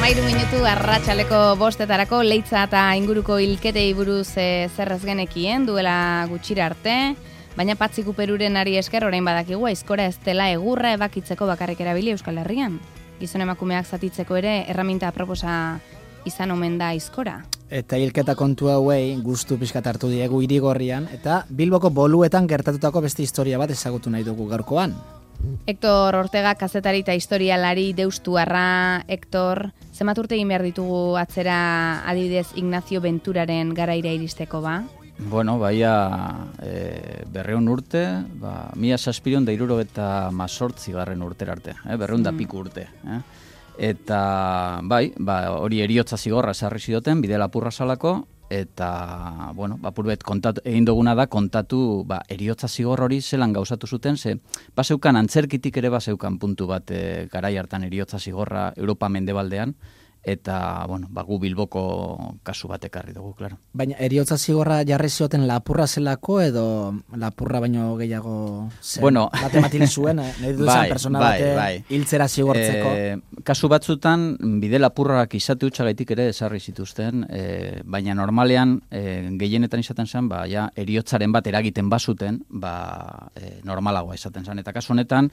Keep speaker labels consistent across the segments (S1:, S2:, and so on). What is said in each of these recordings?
S1: 13 arratsaleko 5 leitza eta inguruko hilketei buruz zerrez genekien duela gutxira arte, baina Patxi Kuperuren ari esker orain badakigu aizkora ez dela egurra ebakitzeko bakarrik erabili Euskal Herrian. Gizon emakumeak zatitzeko ere erraminta aproposa izan omen da aizkora.
S2: Eta hilketa kontu hauei gustu pixkat hartu diegu Irigorrian, eta Bilboko boluetan gertatutako beste historia bat ezagutu nahi dugu gaurkoan.
S1: Hector Ortega kazetari eta historialari deustuarra. Hector, zenbat urte egin behar ditugu atzera adibidez Ignacio Venturaren garaira iristeko ba?
S3: Bueno, baia 200 urte, 1778 urtera arte, 200 piku urte. Eta bai, hori heriotza zigorra esarri zidoten, bide lapurra salako, eta, bueno, apurbet egin duguna da kontatu heriotza zigor hori zelan gauzatu zuten, ze baseukan antzerkitik ere baseukan puntu bat garai hartan heriotza zigorra Europa mendebaldean, eta, bueno, gu Bilboko kasu bat ekarri dugu, klaro.
S2: Baina heriotza zigorra jarri zioten lapurra zelako edo lapurra baino gehiago zen?
S3: Bueno,
S2: matematil zuen, nahi duzan persona bate hiltzera zigortzeko.
S3: Kasu batzutan, bide lapurrak izate utxagaitik ere esarri zituzten, baina normalean, gehienetan izaten zen, heriotzaren bat eragiten bazuten, normalagoa izaten zen. Eta kasu honetan,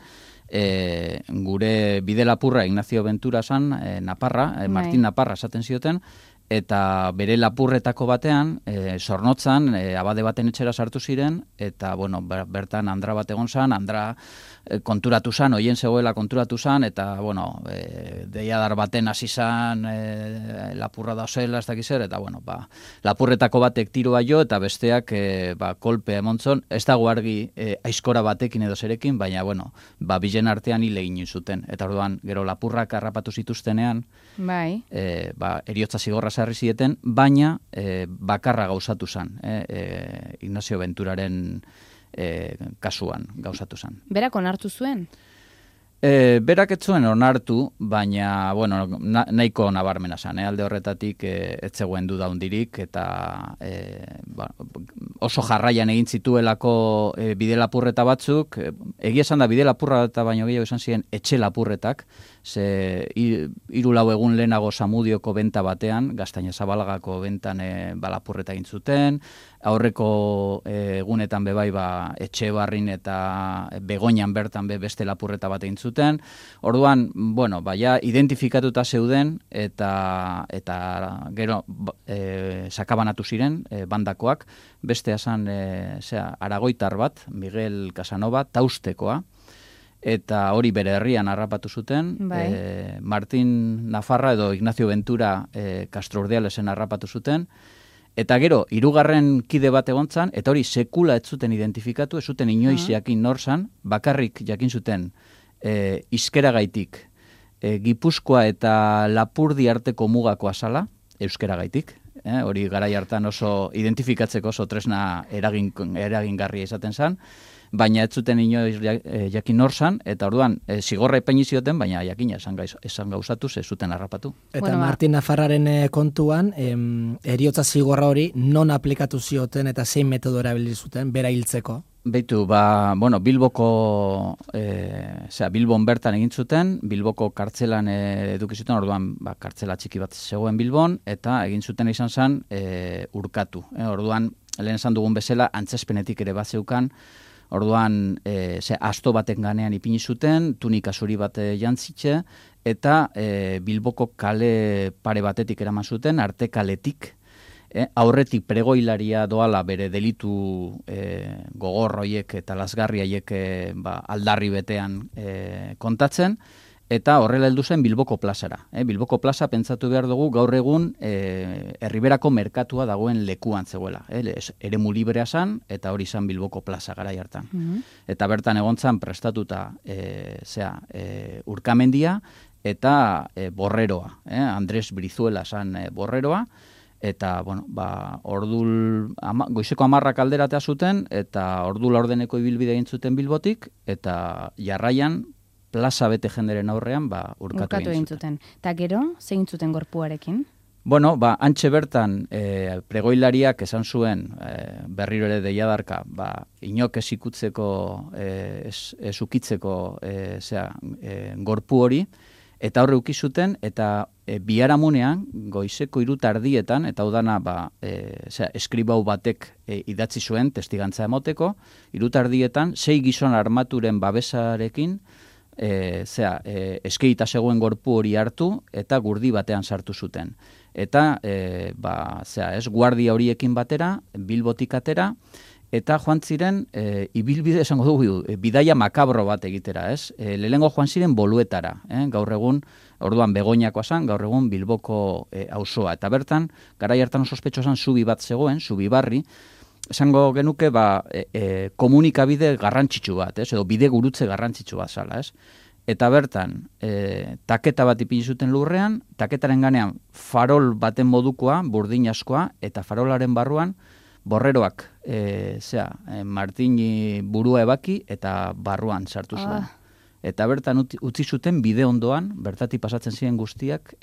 S3: gure bide lapurra Ignacio Ventura zan, Naparra, Martin Naparra esaten zioten, eta bere lapurretako batean, Zornotzan, abade baten etxera sartu ziren, eta, bueno, bertan Andra bat egon zan, Andra konturatu zan, oien zegoela konturatu zan, eta, bueno, deiadar baten hasi zan, lapurra da zela, ez dakizer, eta, bueno, lapurretako batek tiroa jo, eta besteak, kolpe emontzon, ez dago argi aizkora batekin edo zerekin, baina, bueno, bilen artean hile egin zuten, eta orduan, gero lapurrak harrapatu zituztenean, heriotza zigorra sarri zieten, baina bakarra gauzatu zen, Ignacio Venturaren kasuan gauzatu zen.
S1: Berak onartu zuen?
S3: Berak ez zuen onartu, baina, bueno, nahiko nabarmena zen, alde horretatik ez zegoen duda hundirik, eta oso jarraian egin zituelako bide lapurreta batzuk, egia esan da bide lapurreta baino gehiago izan ziren etxe lapurretak, ze 3-4 egun lehenago Zamudioko benta batean, Gaztaina-Zabalagako bentan lapurreta egin zuten, aurreko egunetan bebai etxe barrin eta Begoñan bertan beste lapurreta bat egin zuten. Orduan, bueno, identifikatuta zeuden eta gero sakabanatu ziren bandakoak, bestea zan aragoitar bat, Miguel Casanova, Taustekoa, eta hori bere herrian harrapatu zuten, Martin Nafarra edo Ignacio Ventura Castro Urdialesen harrapatu zuten, eta gero, 3. kide bat egontzan, eta hori sekula ez zuten identifikatu, ez zuten inoiz jakin nor zan, bakarrik jakin zuten izkeragaitik, Gipuzkoa eta Lapurdi arteko mugako azala, euskeragaitik, hori garai hartan oso identifikatzeko oso tresna eragingarria izaten zen, baina ez zuten inoiz jakin nor zan, eta orduan zigorra epaini zioten, baina jakina esan gauzatu ze zuten harrapatu.
S2: Eta Martin Nafarraren kontuan, heriotza zigorra hori non aplikatu zioten eta zein metodo erabili zuten, bera hiltzeko?
S3: Beitu, Bilboko, Bilbon bertan egin zuten, Bilboko kartzelan eduki zuten, orduan kartzela txiki bat zegoen Bilbon, eta egin zuten izan zen urkatu. Orduan, lehen esan dugun bezala, antzespenetik ere bat zeukan, orduan, asto baten ganean ipini zuten, tunika zuri bat jantzitxe, eta Bilboko kale pare batetik eraman zuten, arte kaletik, aurretik pregoilaria doala bere delitu gogor hoiek eta lasgarri haiek aldarri betean kontatzen, eta horrela heldu zen Bilboko plazara. Bilboko plaza pentsatu behar dugu gaur egun Erriberako merkatua dagoen lekuan zegoela. Eremu librea zan, eta hori zan Bilboko plaza garai hartan. Eta bertan egontzan prestatuta Urkamendia eta Borreroa. Andres Brizuela zan Borreroa, eta, bueno, goizeko 10 alderatea zuten, eta ordu laurdeneko ibilbide egin zuten Bilbotik, eta jarraian plaza bete jenderen aurrean urkatu egin zuten.
S1: Eta gero, zein zuten gorpuarekin?
S3: Bueno, antxe bertan pregoilariak esan zuen berriro ere deiadarka, inok ez ikutzeko, ez ukitzeko gorpu hori, eta horre ukizuten, eta biharamunean, goizeko 3:00 eta hau dana, eskribau batek idatzi zuen testigantza emoteko, 3:00 6 gizon armaturen babesarekin, eskeita zegoen gorpu hori hartu eta gurdi batean sartu zuten. Eta, guardia horiekin batera, Bilbotik atera, eta joan ziren, ibilbide esango dugu, bidaia makabro bat egitera, ez? Lehengo joan ziren Boluetara, gaur egun, orduan Begoñakoa zan, gaur egun Bilboko auzoa. Eta bertan, garai hartan ospetxo zan zubi bat zegoen, Zubibarri, esango genuke, komunikabide garrantzitsu bat, ez? Edo bide gurutze garrantzitsu bat zala, ez? Eta bertan, taketa bat ipini zuten lurrean, taketaren ganean farol baten modukoa, burdin askoa, eta farolaren barruan, borreroak, Martini burua ebaki eta barruan sartu zuen. Eta bertan utzi zuten bide ondoan, bertatik pasatzen ziren guztiak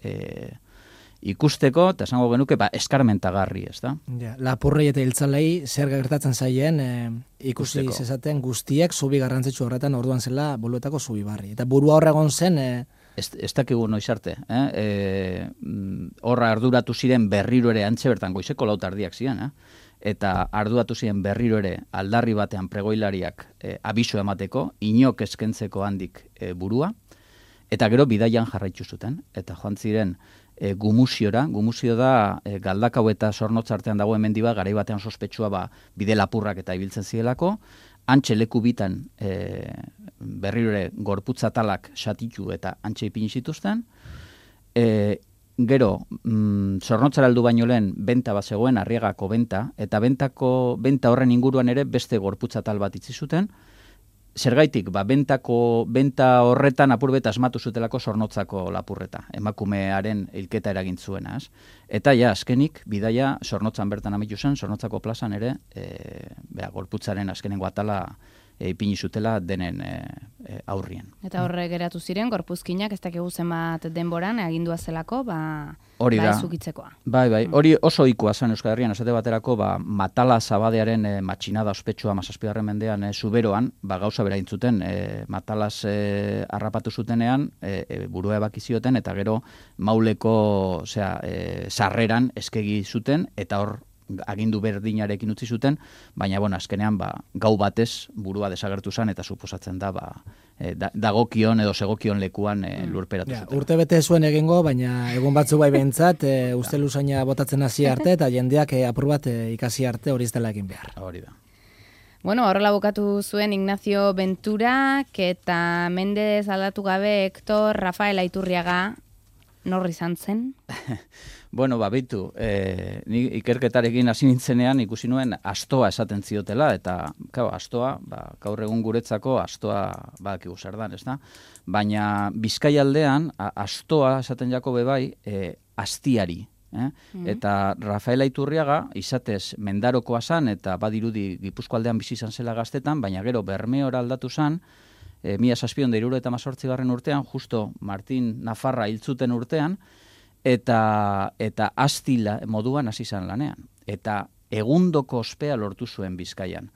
S3: ikusteko, eta esango genuke, eskarmentagarri, ez da?
S2: Ja, lapurrei eta hiltzalei zer gertatzen zaien ikusi zezaten guztiak zubi garrantzitsu horretan orduan zela Boluetako Zubibarri. Eta burua horregon zen...
S3: Ez dakigu noiz arte. Horra arduratu ziren berriro ere antxe bertan goizeko 4:00 ziren, eta arduratu ziren berriro ere aldarri batean pregoilariak abiso emateko, inok eskentzeko handik burua, eta gero bidaian jarraitu zuten, eta joan ziren Gumuziora, Gumuzio da Galdakau eta Zornotzartean dagoen mendi bat, garai batean sospetsua bide lapurrak eta ibiltzen zirelako, antxe leku bitan berriro ere gorputzatalak satitu eta antxe ipini zituzten, gero, Zornotzara heldu baino lehen benta bat zegoen, Arriagako benta, eta benta horren inguruan ere beste gorputzatal bat itzi zuten. Zergaitik, benta horretan apurbet asmatu zutelako Zornotzako lapurreta, emakumearen hilketa eragin zuena. Eta azkenik, bidaia Zornotzan bertan amitu zen, Zornotzako plazan ere, gorputzaren azkenengo atala ipini zutela denen aurrien.
S1: Eta horre geratu ziren, gorpuzkinak ez dakigu zenbat denboran, agindua zelako,
S3: hori da,
S1: ezukitzekoa.
S3: Bai, hori oso ohikoa zen Euskal Herrian, esate baterako, Matala Zabadearen matxinada ospetsua 17. mendean Zuberoan, gauza bera intzuten, Matalas harrapatu zutenean, burua ebaki zioten, eta gero Mauleko sarreran eskegi zuten, eta hor agindu berdinarekin utzi zuten, baina azkenean gau batez burua desagertu zen eta suposatzen da dagokion edo segokion lekuan lurperatu zuten.
S2: Urte bete zuen egingo, baina egun batzu bai behintzat, uste luzaina botatzen hasi arte eta jendeak apur bat ikasi arte hori ez dela egin behar.
S3: Hori da.
S1: Bueno, horrela bukatu zuen Ignacio Venturak eta Mendez aldatu gabe Hector Rafael Aiturriaga norri izan zen?
S3: Bueno, beitu, ni ikerketarekin hasi nintzenean ikusi nuen astoa esaten ziotela, eta astoa, gaur egun guretzako astoa badakigu zer dan, ez da? Baina Bizkaialdean astoa esaten jako bebai astiari. Eta Rafael Aiturriaga izatez Mendarokoa zan, eta badirudi Gipuzkoaldean bizi izan zela Gaztetan, baina gero Bermeora aldatu zan, 1778 urtean, justo Martin Nafarra hiltzuten urtean, eta astila moduan hasi izan lanean. Eta egundoko ospea lortu zuen Bizkaian.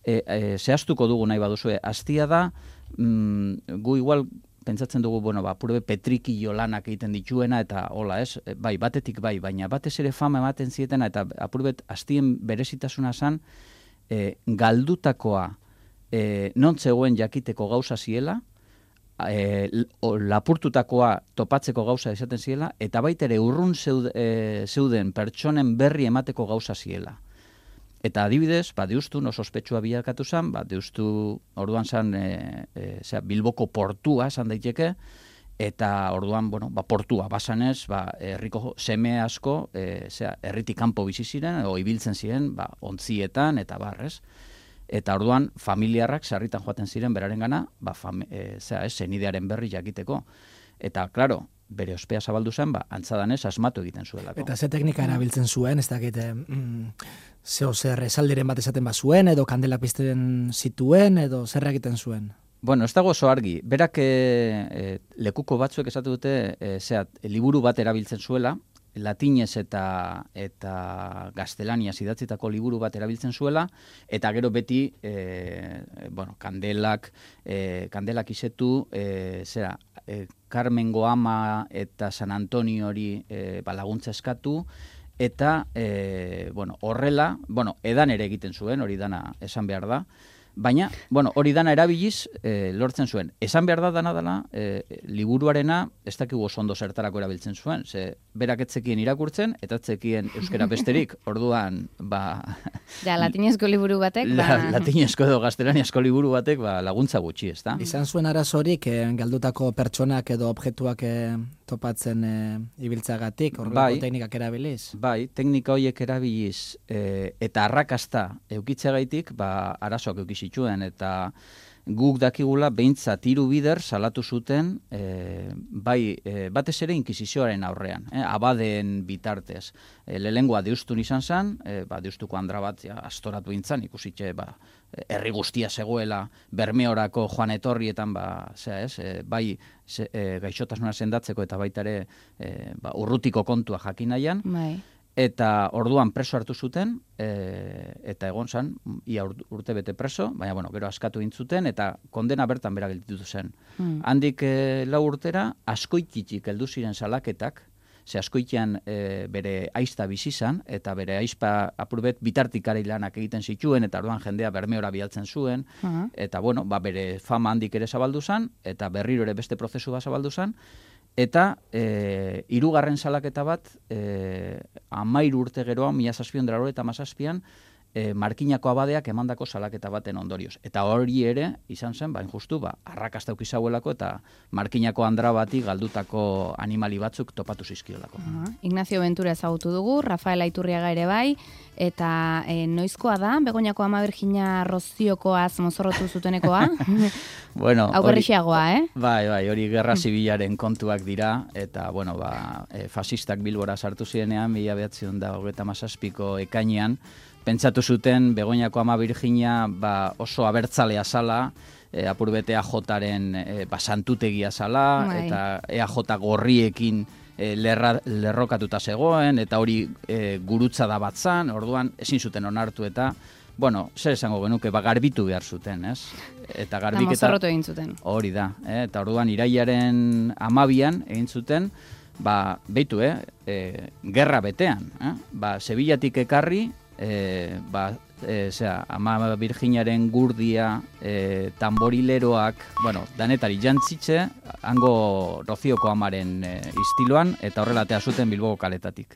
S3: Zehaztuko dugu nahi baduzue, astia da, gu igual pentsatzen dugu, purbe petrikilo lanak egiten dituena, eta hola, ez? Batetik baina batez ere fama ematen zietena, eta apurbet astien berezitasuna zan, galdutakoa non zegoen jakiteko gauza ziela, lapurtutakoa topatzeko gauza esaten ziela, eta baita ere urrun zeuden pertsonen berri emateko gauza ziela. Eta adibidez, deustun oso ospetsua bilakatu zen, deustu orduan zen Bilboko portua esan daiteke, eta orduan, portua basanez, herriko seme asko, herritik kanpo bizi ziren, o ibiltzen ziren, ontzietan, eta barrez. Eta orduan, familiarrak sarritan joaten ziren berarengana, senidearen berri jakiteko. Eta, klaro, bere ospea zabaldu zen, antzadanez asmatu egiten zuelako.
S2: Eta ze teknika erabiltzen zuen, ez dakit, zer esalderen bat esaten bazuen, edo kandelak pizten zituen, edo zer egiten zuen?
S3: Ez dago oso argi. Berak lekuko batzuek esatu dute, liburu bat erabiltzen zuela, latinez eta gaztelaniaz idatzitako liburu bat erabiltzen zuela, eta gero beti kandelak izetu, Carmengo Ama eta San Antonio hori laguntza eskatu, eta horrela, edan ere egiten zuen, hori dana esan behar da, baina, hori dana erabiliz lortzen zuen. Esan behar da dana dela, liburuarena ez dakigu oso ondo zertarako erabiltzen zuen, ze berak etzekien irakurtzen, eta etzekien euskera besterik, orduan,
S1: latinezko liburu batek,
S3: latinezko edo gaztelaniazko liburu batek, laguntza gutxi, ez da?
S2: Izan zuen arazorik, galdutako pertsonak edo objektuak topatzen ibiltzagatik, horrelako teknikak erabiliz?
S3: Bai, teknika horiek erabiliz, eta arrakasta eukitzeagaitik, arazoak eukizituen, eta guk dakigula behintzat 3 bider salatu zuten batez ere inkisizioaren aurrean, abadeen bitartez. Lehengoa deustun izan zen, deustuko andra bat astoratu intzan, ikusitxe herri guztia zegoela Bermeorako joan etorrietan, bai gaixotasuna sendatzeko eta baita ere urrutiko kontua jakin nahian, eta orduan preso hartu zuten, eta egon zen, ia urte bete preso, baina, gero askatu intzuten, eta kondena bertan bera gelditu zen. Handik 4 urtera, Askoititik heldu ziren salaketak, ze Askoitian bere aizta bizi izan, eta bere aizpa apurbet bitartikari lanak egiten zituen, eta orduan jendea Bermeora bialtzen zuen, eta, bere fama handik ere zabaldu zen, eta berriro ere beste prozesu bat zabaldu zen, eta 3. salaketa bat, 13 urte geroa, 1797an, Markinako abadeak emandako salaketa baten ondorioz. Eta hori ere, izan zen, justu, arrakasta ukizauelako eta Markinako andra bati galdutako animali batzuk topatu zizkiolako.
S1: Ignacio Ventura ezagutu dugu, Rafael Aiturriaga ere bai, eta noizkoa da, Begoñako Ama Virginia Roziokoaz mozorrotu zutenekoa? Augerrixeagoa,
S3: Bai, hori gerra zibilaren kontuak dira, eta, fasistak Bilbora sartu zirenean, 1937ko ekainean, pentsatu zuten Begoñako Ama Virginia oso abertzalea zala, apurbete EAJaren santutegia zala, eta EAJ gorriekin lerrokatuta zegoen, eta hori gurutza da batzan, orduan ezin zuten onartu eta, zer esango genuke, garbitu behar zuten, ez? Eta garbiketa...
S1: Mozorrotu egin zuten.
S3: Hori da, eta orduan irailaren 12an egin zuten, beitu, gerra betean, Sevillatik ekarri, Ama Virginiaren gurdia, tamborileroak, danetari jantzitze, hango Rozioko Amaren istiloan, eta horrelatea zuten Bilboko kaletatik.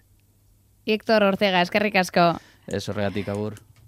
S1: Héctor Ortega, eskerrik asko.
S3: Ez horregatik, agur.